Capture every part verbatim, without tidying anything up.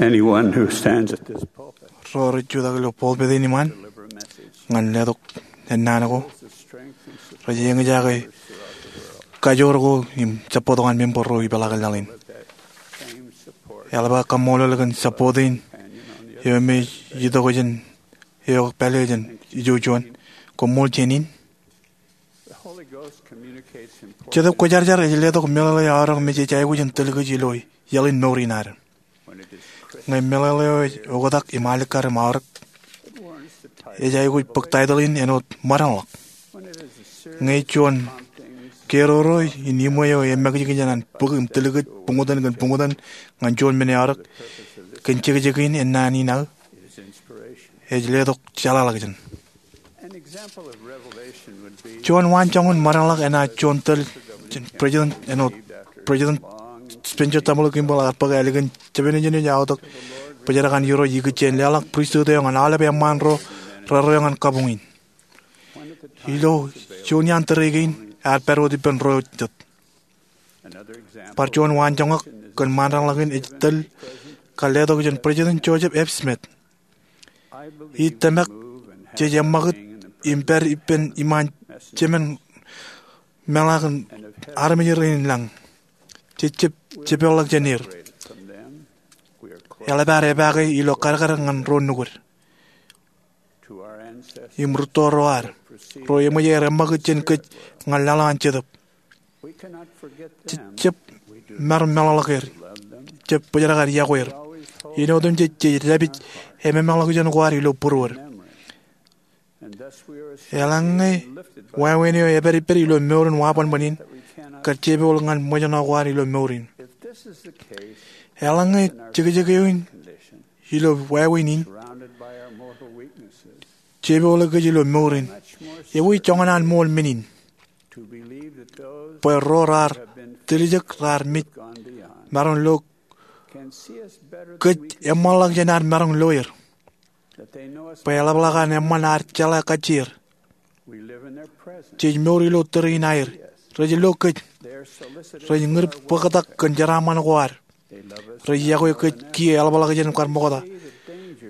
Anyone who stands at this pulpit Ro rej jutak ilo pulpit in iṃaan ñan letok ennaan ko rej eñjake kajoor ko im support ko an member ro ipeḷaakin laḷ in. Eḷap aō kaṃṃoolol kōn support in eo me ej itok jān eok pālle jān ijo juon. Koṃṃool jān in. Jetōb Kwōjarjar ej letok meḷeḷe aorōk me jej aikuj in tōl kōj ilo iaḷ in mour in ad. Ñe meḷeḷe eo ej oktak im alikkar im aorōk, ej aikuj bōk title in āinwōt ṃōrañḷọk. Ñe juon keroro in iṃwe eo emakijkij jān an bōk im tōl kōj buñtōn kōn buñtōn ñan juon men eo aorōk, kōn jekjek in ennaan in aō, ej letok jeḷāḷọkjeṇ. Juon waanjoñan ṃōrañḷọk enaaj juon tōl jān President āinwōt President Spencer W. Kimball ear bōk ālikin jemān ej aotōk bōjrak an Irooj ikijjien leḷọk pristut eo ñan aolep eṃṃaan ro rerreo ñan kabuñ in. Ilo juon iaan tōre kein ear pād wōt ippān ro jet. Bar juon waanjoñak kōn ṃōrañḷọk in ej tōl kar letok jān President Joseph F. Smith. Ij tōmak jej eṃṃakūt im pād ippān iṃaan jemān meḷaak in armej rein lañ. Jej jab jepeḷḷọk jān er. Eḷap ad epaake ilo kadkad ñan ro nukud im rūtto ro ad, ro eṃōj aer eṃṃakūt jān kōj ñan laḷ eo an Jetōb. Jej jab maroñ meḷọkḷọk er. Jej jab bōjrak ad iọkwe er. Āinwōt im jej, jej dāpij ememḷọkjeṇ ko ad ilo būruod. Eḷaññe wāween eo epād ippād ilo mour in wabanban in, kar jepool ñan ṃōjṇọ ko ad ilo mour in. Eḷaññe jekjek eo in ilo wāween in jepoole kōj ilo mour in, ewi joñan an ṃool men in? Bwe ro raar tiljek raar mej maroñ lo kōj eṃṃanḷọk jān ad maroñ lo er. Bwe eḷapḷọk an eṃṃan ad jeḷā kajjier. Jej mour ilo tōre in aer. Rej lo kōj. Rej ñūr bōktak kōn jeraaṃṃan ko ad. Rej iọkwe kōj kiiō eḷapḷọk jān kar ṃokta.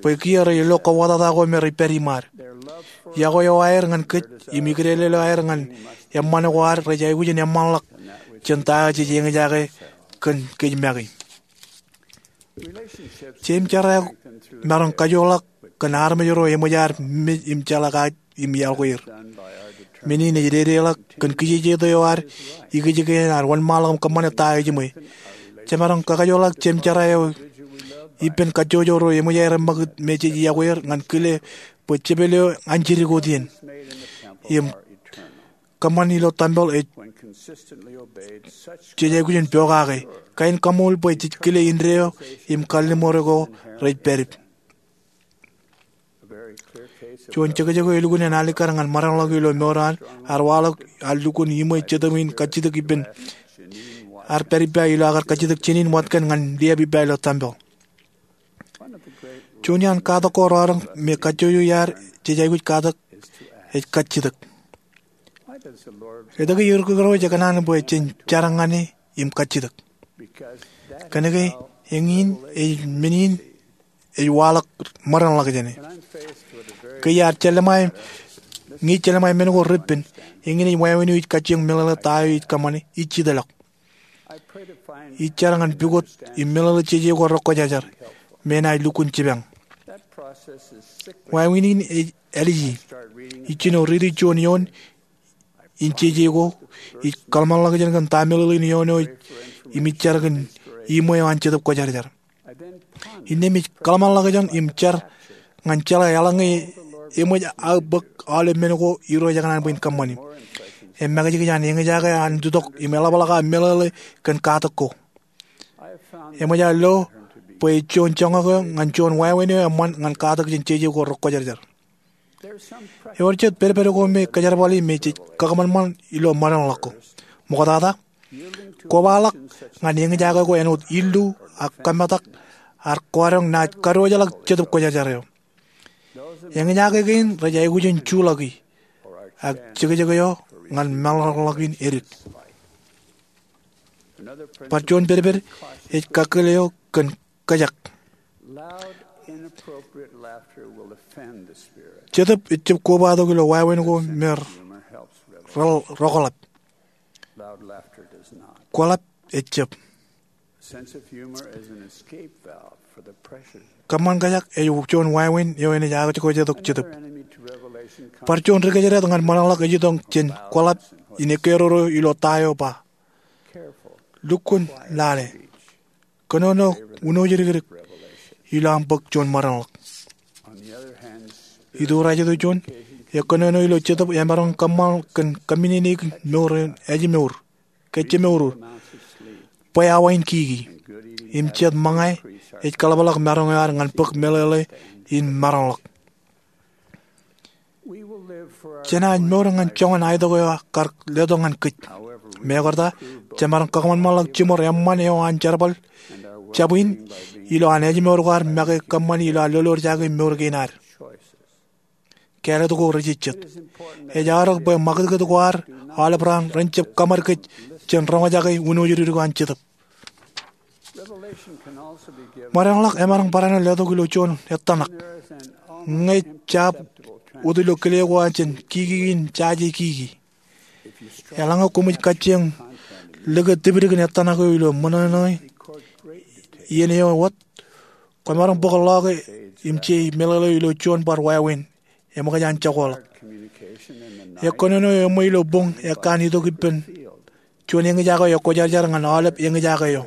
Bwe kiiō rej lo kōwōtata ko me rej pād iṃaad. Iọkwe eo aer ñan kōj im ikdele eo aer ñan eṃṃan ko ad rej aikuj in eṃṃanḷọk jān ta eo jej eñjake kōn kōj make. Jeiū im jera eo maroñ kajoorḷọk kōn armej ro eṃōj ad mej im jeḷā kajjier im iọkwe er. Men in ej dedeḷọk kōn kijejeto eo ad ikijjien ad wōnṃaanḷọk im kōṃṃane ta eo ejiṃwe. Jemaroñ kakajoorḷọk jeiū im jera eo ippān kajjojo ro eṃōj aer eṃṃakūt me jej iọkwe er ñan kile bwe jepel eo anjidi ko dien im kōṃṃan ilo tempel ej jej aikuj in pokake. Kain kaṃool bwe jej kile indeeo im kalliṃur ko rej pād ippa. Juon jekjek eo elukkuun en alikkar ñan ṃōrañḷọk ilo mour eo an, ear waḷọk ear lukkuun iṃwe Jetōb in kajjitōk ippān, ear pād ippa ilo aō kar kajjitōk jenin wōt kaṇ ñan liab ippa ilo tempel. Juon iaan katak ko rọọlḷọk me kajjojo iaad jej aikuj katak ej kajjitōk. Etke Irooj ej kōṇaan bwe jen jar ñan e im kajjitōk? Kōnke eñin ej men in ej waḷọk ṃōrañḷọkjeṇ e. Ke iar jelṃae, ñe ij jelṃae men ko repen, eñin ej wāween eo ij kajjioñ meḷeḷe ta eo ij kōṃṃane, ij jitḷọk. Ij jar ñan pukot im meḷeḷe jeje ko rekwōjarjar me enaaj lukkuun jipañ. Wāween in ej āliji. Ij jino riiti juon eoon in jeje ko, ij kōḷmānḷọkjeṇ kōn ta meḷeḷein eoon eo im ij jar kōn iṃwe eo an Jetōb Kwōjarjar. Innām ij kōḷmānḷọkjeṇ im jar ñan jeḷā eḷaññe eṃōj aō bōk aolep men ko Irooj ekōṇaan bwe in kōṃṃani. Emakijkij an eñjake an jutak im eḷapḷọk aō meḷeḷe kōn katak ko. Eṃōj aō lo bwe ej juon joñak eo ñan juon wāween eo eṃṃan ñan katak jān jeje ko rekwōjarjar. Ewōr jet pedped ko me kōjerbali me jej kakōṃanṃan ilo ṃōrañḷọk ko. Ṃoktata, kobaḷọk ñan eñjake ko āinwōt illu ak kōmetak ar kwaroñ naaj kadiwōjḷọk Jetōb Kwōjarjar eo. Eñjake kein rej aikuj in juḷọki, ak jekjek eo ñan ṃōrañḷọk in edik. Bar juon pedped ej kakkōl eo kōn kōjak. Jetōb ejjab kobatok ilo wāween ko me rōkḷap. Kwōḷap ejjab. Kōṃṃan kōjak ej juon wāween eo enaaj aikuj kōjatōk jetōb. Bar juon ri kōjdat ñan ṃōṇōṇōḷọk ej itok jān kwōḷap in ekkeroro ilo ta eo ba, lukkuun lale. Kōnono wūnooj dik ilo aṃ bōk juon ṃōṇōṇōḷọk. Ituurajto juon, ekkōnono ilo jetōb emaroñ kōṃṃan kōn kōmminene mour in ājmour ke jemour, bwe awa in kiki, im jet ṃōñā ej kaḷapḷọk maroñ eo ad ñan bōk meḷeḷe in maroñḷọk. Jenaaj mour ñan joñan aetok eo kar letok ñan kōj. Mekarta, jemaroñ kakōṃanṃanḷọk jiṃor eṃṃan eo an jerbal jab in ilo an ājmour ko ad make kōṃṃani ilo ad lolorjake mour kein ad. Kāālōt ko rejejjet. Ej aorōk bwe ṃakūtkūt ko ad aolep raan ren jab kōṃad kōj jān roñjake wūnooj dik an jetōb. Ṃōdeañḷọk emaroñ barāinwōt letok ilo juon ettōṇak. Ñe jab wōt ilo kile ko an jān kiki in jaje kiki, eḷaññe koṃij kajjioñ lōke tipdik in ettōṇak eo ilo ṃōṇōṇō iien eo wōt, kwōmaroñ bōk ḷọke im je meḷeḷe eo ilo juon bar wāween eṃōkaj an jokoḷọk. Ekkōnono eo eṃṃan ilo boñ ekkan itok ippān juon eñjake eo ekwōjarjar ñan aolep eñjake eo.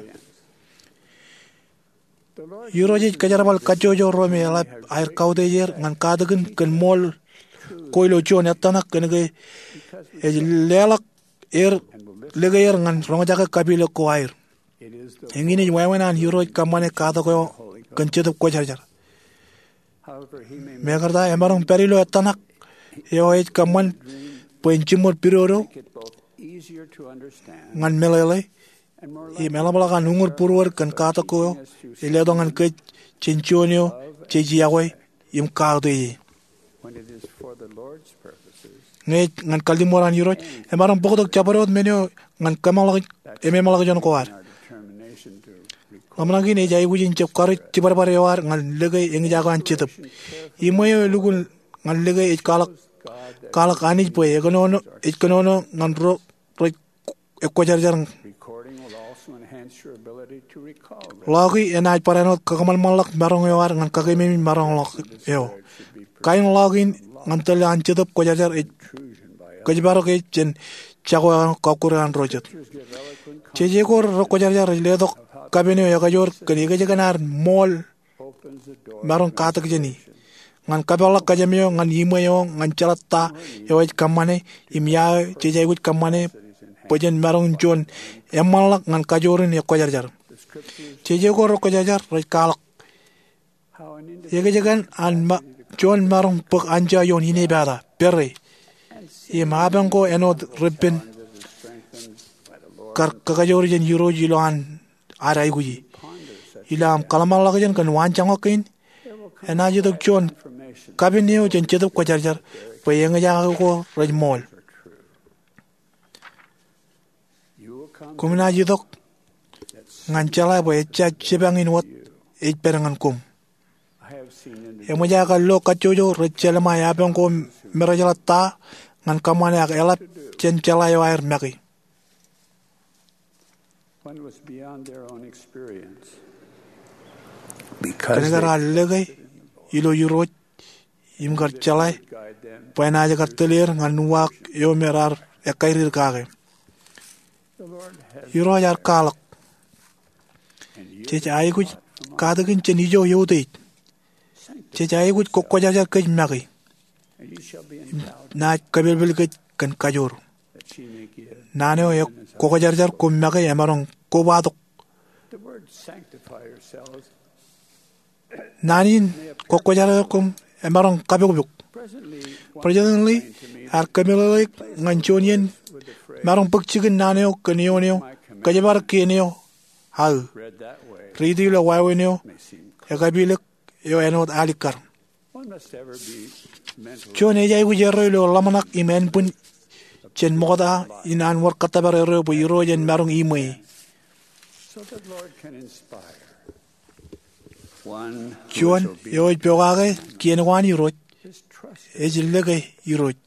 Irooj ej kōjerbal kajjojo ro me eḷap aer kautiej er ñan katakin kōn ṃool ko ilo juon ettōṇak kōnke ej leḷọk er, lōke er ñan roñjake kapilōk ko aer. Eñin ej wāween an Irooj kōṃṃane katak eo kōn Jetōb Kwōjarjar. Mekarta emaroñ pād ilo ettōṇak eo ej kōṃṃan bwe en jiṃor pidodo ñan meḷeḷe im eḷapḷọk an uñūr būruod kōn katak ko ej letok ñan kōj jān juon eo jej iọkwe im kautiej e. Ñe ej ñan kalliṃur an Irooj, emaroñ bōktok jabdewōt men eo ñan kōmeḷeḷe, ememeḷeḷe juon ko ad. Ḷōmṇak in ej aikuj in jab karuj jibadbad eo ad ñan lōke eñjake an Jetōb. Iṃwe eo elukkuun ñan lōke ej kwaḷọk, kwaḷọk Anij bwe ekōnono, ej kōnono ñan ro rej ekwōjarjar. Ḷọki enaaj barāinwōt kakōṃanṃanḷọk maroñ eo ad ñan kakeememej maroñḷọk eo. Kain ḷọk in ñan tōl an Jetōb Kwōjarjar ej kōjparok e jān jako eo an kọkkure an ro jet. Jeje ko rekwōjarjar rej letok kapen eo ekajoor kōn ekōjkan ad ṃool maroñ katak jāni ñan kapeḷḷọk kōjām eo ñan iṃwe eo ñan jeḷā ta eo ej kōṃṃane im ia eo jej aikuj kōṃṃane bwe jen maroñ juon eṃṃanḷọk ñan kajoor in ekwōjarjar. Jeje ko rekwōjarjar rej kwaḷọk ekōjkan an ma-, juon maroñ bōk anjọ ioon inepata, pere, im apañ ko āinwōt repen kar kakajoor jān Irooj ilo an ad aikuji. Ilo aṃ kōḷmānḷọkjeṇ kōn waanjoñak kein, enaaj itok juon kapen eo jān Jetōb Kwōjarjar bwe eñjake ko rej ṃool. Koṃ naaj itok ñan jeḷā bwe ejja jipañ in wōt ej pād ñan koṃ. Eṃōj aō kallo kajjojo rej jelṃae apañ ko me rej jeḷā ta ñan kōṃṃane ak eḷap jān jeḷā eo aer make. Kōnke raar lōke ilo Irooj im kar jeḷā bwe enaaj kar tōl er ñan uwaak eo me raar ekkairōk kake. Irooj ear kwaḷọk, jej aikuj katakin jān ijo eutiej. Jej aikuj kokwōjarjar kōj make. Im naaj kōpelpel kōj kōn kajoor. Naan eo kokwōjarjar koṃ make emaroñ kobatok. Naan in kokwōjarjar koṃ emaroñ kapokpok. President Lee ear kōmeḷeḷeik ñan juon iien maroñ bōk jikin naan eo kōn eoon eo kōjparok kien eo aō. Riiti ilo wāween eo ekapilōk eo āinwōt alikkar. Juon ej aikuj erreo ilo ḷōmṇak im ānbwin jān ṃokta in an wōr kōttōpar erreo bwe Irooj en maroñ iṃwe e. Juon eo ej pokake kien ko an Irooj ej lōke Irooj.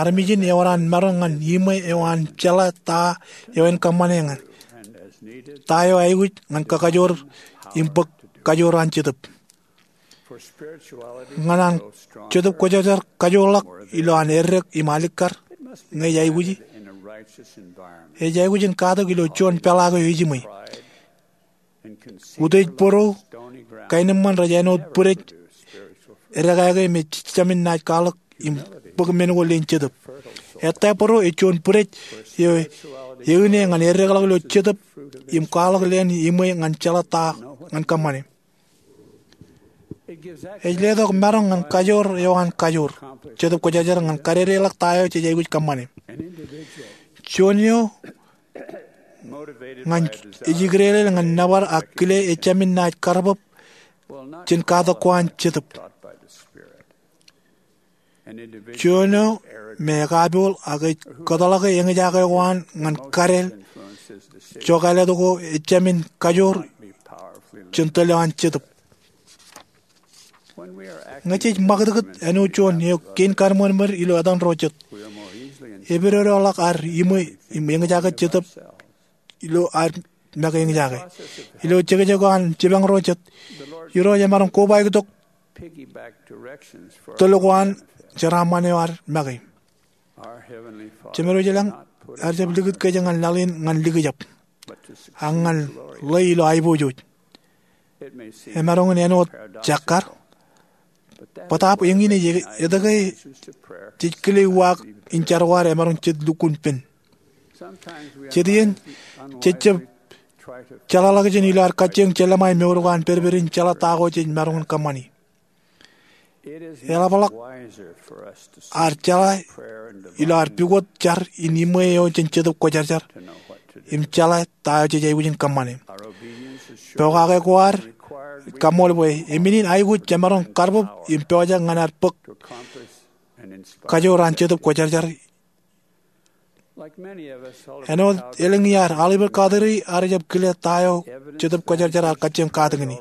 Armej in ewōr an maroñ ñan iṃwe eo an jeḷā ta eo en kōṃṃane ñan ta eo aikuj ñan kakajoor im bōk kajoor an Jetōb. Ñan an Jetōb Kwōjarjar kajoorḷọk ilo an eddek im alikkar ñe ej aikuji, ej aikuj in katak ilo juon peḷaak eo ejiṃwe. Utiej bōro, kaenōṃṃan rej āinwōt bwidej edekāke me jejāmin naaj kwaḷọk im bōk men ko leen Jetōb. Ettā bōro ej juon bwidej eo eñin ñan eddekḷọk ilo Jetōb im kwaḷọk leen iṃwe ñan jeḷā ta ñan kōṃṃane. Ej letok maroñ ñan kajoor eo an kajoor Jetōb Kwōjarjar ñan kadedeḷọk ta eo jej aikuj kōṃṃane. Juon eo ñan ej ikdeeḷeḷ ñan nōbar ak kile ejāmin naaj karbōb jān katak ko an Jetōb. Juon eo me ekapool ak ej kōtḷọke eñjake ko an ñan kadeel jokālet ko ejāmin kajoor jān tōl eo an Jetōb. Ñe jej ṃakūtkūt āinwōt juon eo kein kaṃṃoolmod ilo etan ro jet, epidodoḷọk ad iṃwe im eñjake Jetōb ilo ad make eñjake. Ilo jekjek ko an jipañ ro jet, Irooj emaroñ kobaik tok tōl ko an jeraaṃṃan eo ad make. Jemedwōj ilañ ear jab likūt kōj ñan laḷ in ñan likjab, ak ñan ḷe ilo aiboojoj. Emaroñ in āinwōt jakkar, bōtaab eñin ej etke jej kile uwaak in jar ko ad emaroñ jet lukkuun pen. Jet iien jej jab jeḷāḷọkjeṇ ilo ad kajjioñ jelōṃae mour ko an pedped in jeḷā ta ko jej maroñ in kōṃṃani. Eḷapḷọk ad jeḷā ilo ad pukot jar im iṃwe eo jān Jetōb Kwōjarjar im jeḷā ta eo jej aikuj in kōṃṃane. Pokake ko ad ej kaṃṃool bwe emin in aikuj jemaroñ karbōb im pojak ñan ad bōk kajoor an Jetōb Kwōjarjar. Āinwōt elōñ iar, aolep eo katakin ad rej jab kile ta eo Jetōb Kwōjarjar ear kajjioñ katakin e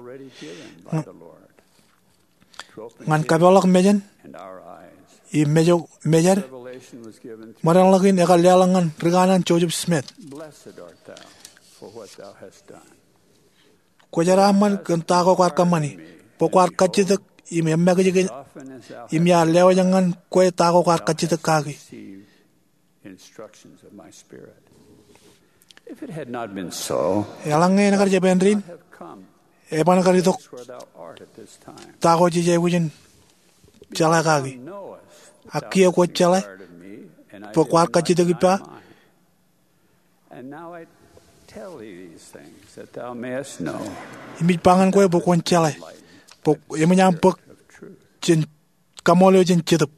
ñan kapeḷḷọk mejān im mejād. Ṃōdeṇḷọk in ekar leḷọk ñan ri kanaan Joseph Smith. Kwō jeraaṃṃan kōn ta ko kwaar kōṃṃani, bwe kwaar kajjitōk im eṃṃakūt kōn, im iar lewōj ñan kwe ta ko kwaar kajjitōk kaki. Eḷaññe en kar jab āindein, eban kar itok ta ko jej aikuj in jeḷā kaki. Ak kiiō kwōj jeḷā bwe kwaar kajjitōk ippa. Im ij ba ñan kwe bwe kwōn jeḷā, bwe eṃōj aṃ bōk jān kaṃool eo jān Jetōb.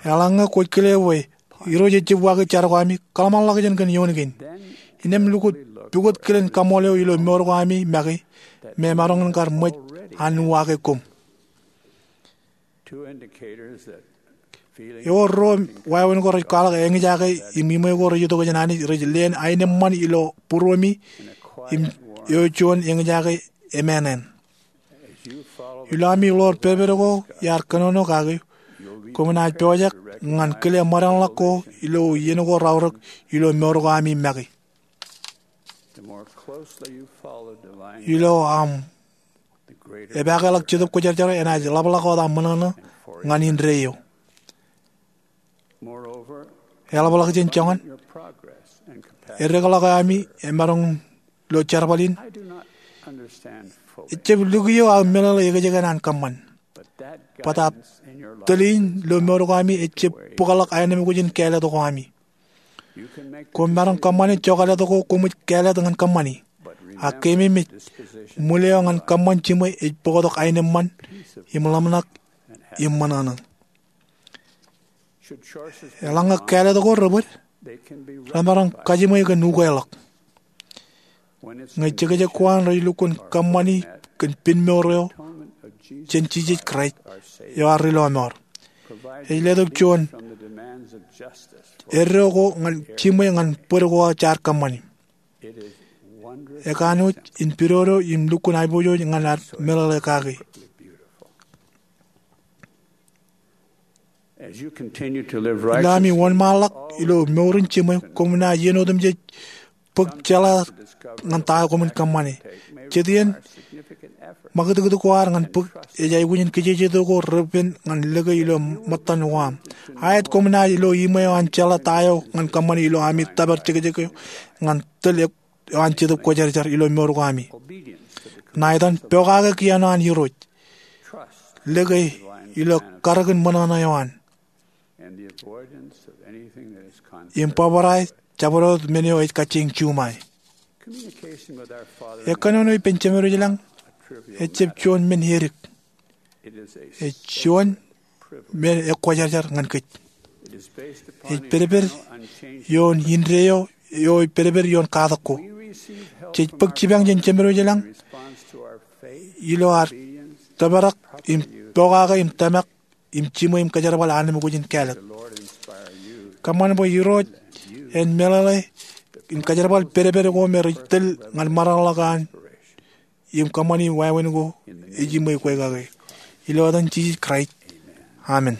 Eḷaññe kwōj kile bwe Irooj ejjab uwaake jar ko ami, kōḷmānḷọkjeṇ kōn eoon kein. Innām lukkuun pukot kilen kaṃool eo ilo mour ko ami make, me emaroñ in kar ṃōj an uwaake koṃ. Ewōr ruo wāween ko rej kwaḷọk eñjake im iṃwe ko rej itok jān Anij rej leen aenōṃṃan ilo būruemi im eo juon eñjake emānān. Ilo ami ḷoor pedped ko iar kōnono kaki, koṃ naaj pojak ñan kile ṃōdeṇḷọk ko ilo iien ko raorōk ilo mour ko ami make. Ilo aṃ epakeḷọk Jetōb Kwōjarjar enaaj ḷapḷọk wōt aṃ ṃōṇōṇō ñan indeeo. Eḷapḷọk jān joñan, eddekḷọk eo ami emaroñ lo jerbal in. Ejjab lukkuun eo aō meḷeḷe ekjeken an kōṃṃan. Bōtaab tōl in lo mour ko ami ejjab bōkḷọk aenōṃ ko jān kāālōt ko ami. Koṃ maroñ kōṃṃane jokālōt ko koṃij kāālōt ñan kōṃṃani. Ak keememej, ṃwil eo ñan kōṃṃan jiṃwe ej bōktok aenōṃṃan im ḷōmṇak im ṃōṇōṇō. Eḷaññe kāālōt ko rebōd, remaroñ kajiṃwe kōn ukeḷọk. Ñe jekjek ko an rej lukkuun kōṃṃani kōn pen mour eo jān Jisōs Kraist eo ad Rilọmọọr, ej letok juon eddo ko ñan jiṃwe ñan bōd ko jaar kōṃṃani. ekanooj in pidodo im lukkuun aiboojoj ñan ad meḷeḷe kake. Ilo ami wōnṃaanḷọk ilo mour in jiṃwe, koṃ naaj iien otemjej bōk jeḷā ñan ta eo koṃwin kōṃṃane. Jet iien ṃakūtkūt ko ad ñan bōk ej aikuj in kijejeto ko repen ñan lōke ilo ṃōttan ko aṃ. Aet koṃ naaj ilo iṃwe eo an jeḷā ta eo ñan kōṃṃane ilo ami tōpar jekjek eo ñan tōl eo an Jetōb Kwōjarjar ilo mour ko ami. Ṇa etan pokake kien eo an Irooj, lōke ilo karōkin ṃōṇōṇō eo an, im bōbrae jabdewōt men eo ej kajjieñ juṃae. Ekkanono ippān Jemed eo ilañ ejjab juon men edik. Ej juon men ekwōjarjar ñan kōj. Ej pedped ioon indeeo eo ej pedped ioon katak ko. Jej bōk jipañ jān Jemed eo ilañ ilo ad tōprak im pokake im tōmak im jiṃwe im kōjerbal armej kwōj in kāālōt. Kōṃṃan bwe Irooj en meḷeḷe im kōjerbal pedped ko me rej tōl ñan maroñḷọk an im kōṃṃani wāween ko ej iṃwe kwe kake. Ilo etan Jisōs Kraist, amen.